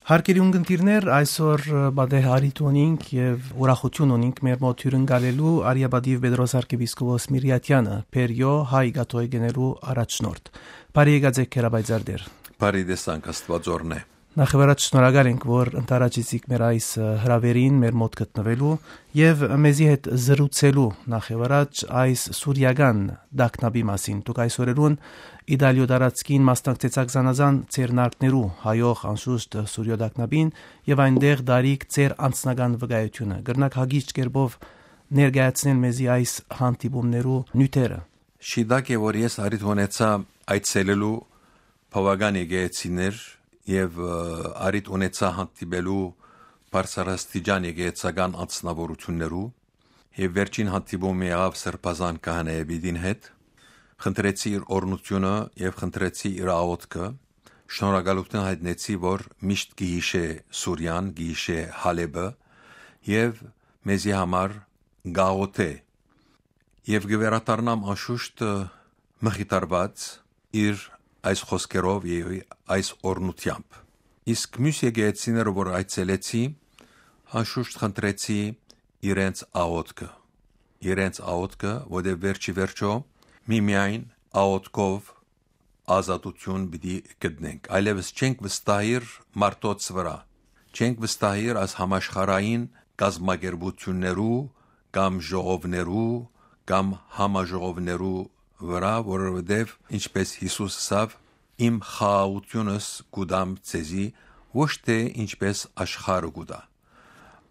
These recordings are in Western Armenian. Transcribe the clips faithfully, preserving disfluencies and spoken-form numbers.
Հարգելի ունգընտիրներ, այսօր, ը, պատեհ առիթ ունինք եւ ուրախութիւն ունինք մեր մոտ հիւրընկալելու արիապատիւ Պետրոս արքեպիսկոպոս Միրիաթեանը, Բերիոյ հայ կաթողիկէներու առաջնորդ։ Բարի եկած եք, Հերապայծարդեր։ Բարի տեսանք, Աստուածորն է։ Նախ եւ առաջ շնորհակալ ենք, որ ընդառաջեցիք մեր այս, ը, հրաւերին, մեր մոտ գտնուելու եւ մեզի հետ զրուցելու նախ եւ առաջ այս սուրիական տագնապի մասին։ Դուք այս օրերուն Իտալիոյ տարածքին մասնակցեցաք զանազան ձեռնարկներու, հայող անշուշտ Սուրիոյ տագնապին, եւ այնտեղ դարիք ձեր անձնական վկայութիւնը։ Կրնաք հագիչ կերպով ներկայացնել մեզի այս հանդիպումներու նիւթերը։ Շիտակ է, որ ես առիթ ունեցայ այցելելու բաւական եկեղեցիներ եւ, ը, առիթ ունեցայ հանդիպելու բարձրաստիճան եկեղեցական անձնաւորութիւններու եւ վերջին հանդիպումը եղաւ Սրբազան քահանայապետին հետ։ Խնդրեցի իր օրհնութիւնը եւ խնդրեցի իր աղօթքը։ Շնորհակալութիւն հայտնեցի, որ միշտ կը յիշէ Սուրիան, կը յիշէ Հալէպը եւ մեզի համար կ'աղօթէ։ Եւ կը վերադառնամ անշուշտ, ը, մխիթարուած իր այս խօսքերով եւ այս օրհնութեամբ։ Իսկ միւս եկեղեցիները, որ այցելեցի, անշուշտ խնդրեցի իրենց աղօթքը, իրենց աղօթքը, որտեղ վերջի վերջո միմիայն աղօթքով ազատութիւն պիտի գտնենք։ Այլեւս չենք վստահիր մարդոց վրայ, չենք վստահիր այս համաշխարհային կազմակերպութիւններու կամ ժողովներու կամ համաժողովներու վրայ, որովհետեւ, ինչպէս Յիսուս ըսաւ, «Իմ խաղաղութիւնս կու տամ ձեզի», ոչ թէ ինչպէս աշխարհը կու տայ։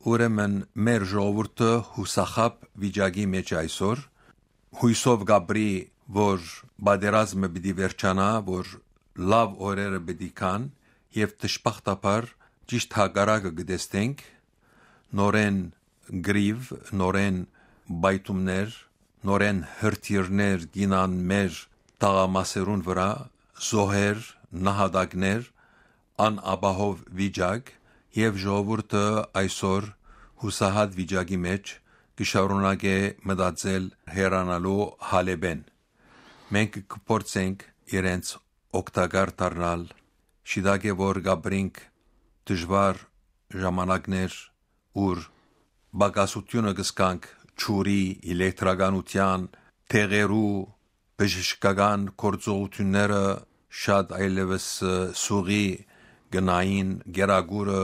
Ուրեմն մեր ժողովուրդը յուսախաբ վիճակի մէջ այսօր, յուսով կ'ապրի, որ պատերազմը պիտի վերջանայ, որ լաւ օրերը պիտի գան, եւ դժբախտաբար ճիշդ հակառակը կը տեսնենք, նորէն կռիւ, նորէն պայթումներ, նորէն հրթիռներ կ'իյնան մեր թաղամասերուն վրայ, զոհեր, նահատակներ, անապահով վիճակ, եւ ժողովուրդը այսօր յուսահատ վիճակի մէջ կը շարունակէ մտածել հեռանալու Հալէպէն։ Մենք կը փորձենք իրենց օգտակար դառնալ, շիտակ է, որ կ'ապրինք դժուար ժամանակներ, ուր պակասութիւնը կը զգանք ջուրի, էլեկտրականութեան, դեղերու, բժշկական գործողութիւնները շատ այլեւս, ը, սուղի կը նային, կերակուրը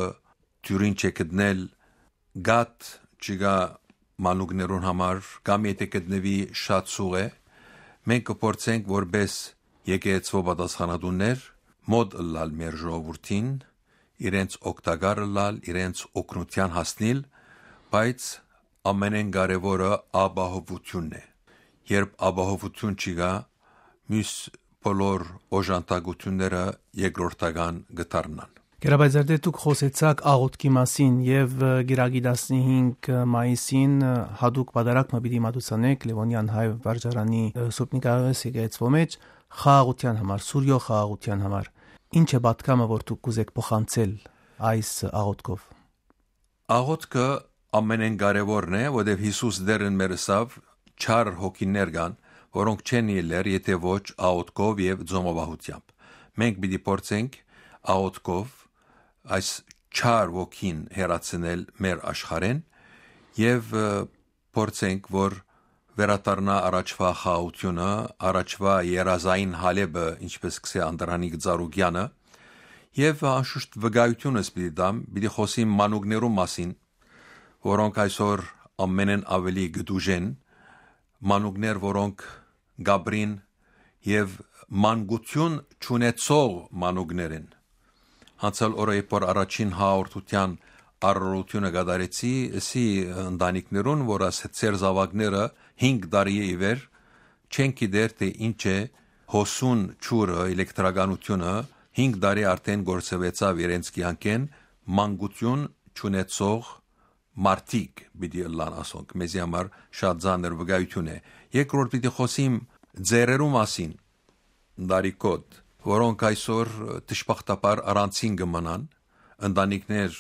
դիւրին չէ գտնել, գաթ չկայ մանուկներուն համար, կամ եթէ գտնուի, շատ սուղ է, մենք կը փորձենք որպէս եկեղեցւոյ պատասխանատուներ մօտ ըլլալ մեր ժողովուրդին, իրենց օգտակար ըլլալ, իրենց օգնութեան հասնիլ, բայց ամենէն կարեւորը ապահովութիւնն է։ Երբ ապահովութիւն չկայ, միւս բոլոր օժանդակութիւնները երկրորդական կը դառնան։ Կերապայծարդե, դուք խօսեցաք աղօթքի մասին եւ, ը, գիրագի տասնհինգ մայիսին, ը, հատուկ պատարագ մը պիտի մատուցանէք Լեւոնեան հայ վարժարանի, ը, Սուրբ Նիկաղոս եկեղեցւոյ մէջ խաղաղութեան համար, Սուրիոյ խաղաղութեան համար։ Ի՞նչ է պատգամը, որ դուք կ'ուզէք փոխանցել այս աղօթքով։ Աղօթքը ամենէն կարեւորն է, որտեւ Յիսուս Տէրն մեր ըսաւ. «Չար հոգիներ կան, որոնք չեն ելլեր, եթէ ոչ աղօթքով եւ ծոմապահութեամբ»։ Մենք պիտի փորձենք աղօթքով այս չար ոգին հեռացնել մեր աշխարհէն եւ, ը, փորձենք, որ վերադառնայ առաջուայ խաղաղութիւնը, առաջուայ երազային Հալէպը, ինչպէս կ'ըսէ Անդրանիկ Ծառուկեանը, եւ անշուշտ վկայութիւնս պիտի տամ, պիտի խօսիմ մանուկներու մասին, որոնք այսօր ամենէն աւելի կը տուժեն, մանուկներ, որոնք կ'ապրին եւ մանկութիւն չունեցող մանուկներ են։ Անցյալ օրը, երբ որ առաջին հաղորդութեան արարողութիւնը կատարեցի, ըսի ընտանիքներուն, որ աս ձեր զաւակները հինգ տարի է ի վեր չեն գիտեր, թէ ինչ է հոսուն ջուրը, էլեկտրականութիւնը, հինգ տարի արդէն գործուեցաւ իրենց կեանքէն, մանկութիւն չունեցող մարդիկ պիտի ըլլան ասոնք, մեզի համար շատ ծանր վկայութիւն է։ Երկրորդ պիտի խօսիմ ծերերու մասին, դարիքոտ, որոնք այսօր դժբախտաբար առանցին կը մնան, ընտանիքներ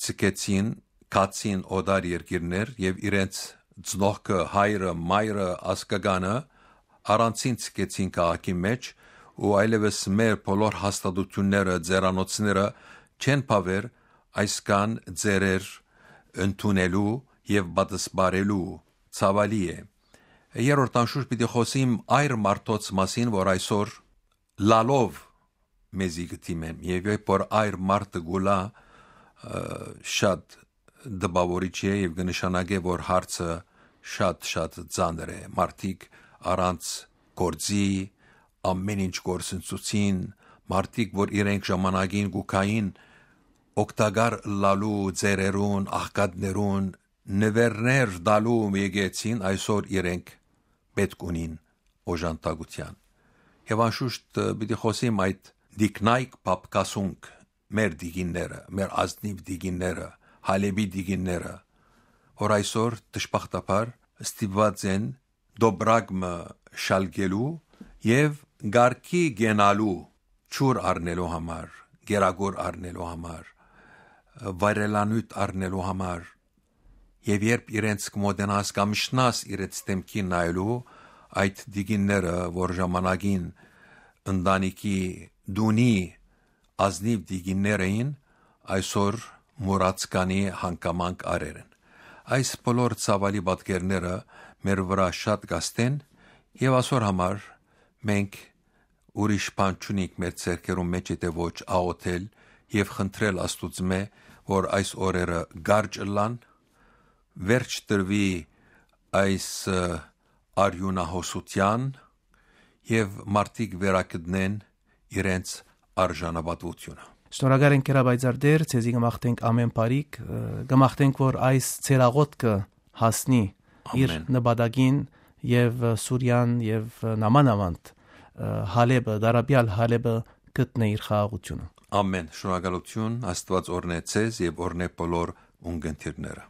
ձգեցին, գացին օտար երկիրներ եւ իրենց ծնողքը, հայրը, մայրը, ազգականը առանցին ձգեցին քաղաքի մէջ ու այլեւս մեր բոլոր հաստատութիւնները, ձերանոցները չեն բաւեր այսքան ձեռեր ընդունելու եւ պատսպարելու, ցաւալի է։ Երրորդ անշուշտ պիտի խօսիմ այր մարդոց մասին, որ այսօր լալով մեզի կը դիմեն, եւ երբ որ այր մարդը գուլա, շատ տպաւորիչ է եւ կը նշանակէ, որ հարցը շատ, շատ ծանր է։ Մարդիկ առանց գործի, ամեն ինչ գործընծուցին, մարդիկ, որ իրենք ժամանակին կու գային օգտակար ըլլալու ձեռերուն, աղքատներուն, նուէրներ տալու եկեցին, այսօր իրենք պէտք ունին օժանդակութեան։ Եւ անշուշտ պիտի խօսիմ այդ դիքնայք պապկասունք, մեր դիգինները, մեր ազնիվ դիգինները, Հալէպի դիգինները, որ այսօր դժբախտաբար ստիպուած են դոբրակ մը շալկելու եւ կարգի կենալու, ջուր առնելու համար, կերակուր առնելու համար, վայրելանիւթ առնելու համար, եւ երբ իրենց կը մօտենաս կամ իջնաս իրենց դէմքին նայելու, այդ դիգինները, որ ժամանակին ընտանիքի տունի ազնիվ դիգիններ էին, այսօր մուրացկանի հանգամանք արեր են։ Այս բոլոր ցաւալի պատկերները մեր վրայ շատ կաստեն, եւ ասոր համար մենք ուրիշ բան չունինք մեր ձեռքերուն մէջ, եթե ոչ աղօթել եւ խնդրել Աստուծմէ, որ այս օրերը կարճ ըլլան, վերջ տրուի այս, ը, արիւնահոսութեան եւ մարդիկ վերագտնեն իրենց արժանապատվութիւնը։ Շնորհակալ ենք, Գերապայծառ Տէր, ձեզի կը մաղթենք ամէն բարիք, ը, կը մաղթենք, որ այս ձեր աղօթքը հասնի իր Ամէն։ նպատակին եւ, ը, Սուրիան եւ, ը, նամանավանդ, ը, Հալէպը, դարաբեալ Հալէպը գտնէ իր խաղաղութիւնը։ Ամէն։ Շնորհակալութիւն, Աստուած օրհնէ ձեզ եւ օրհնէ բոլոր ունկնդիրները։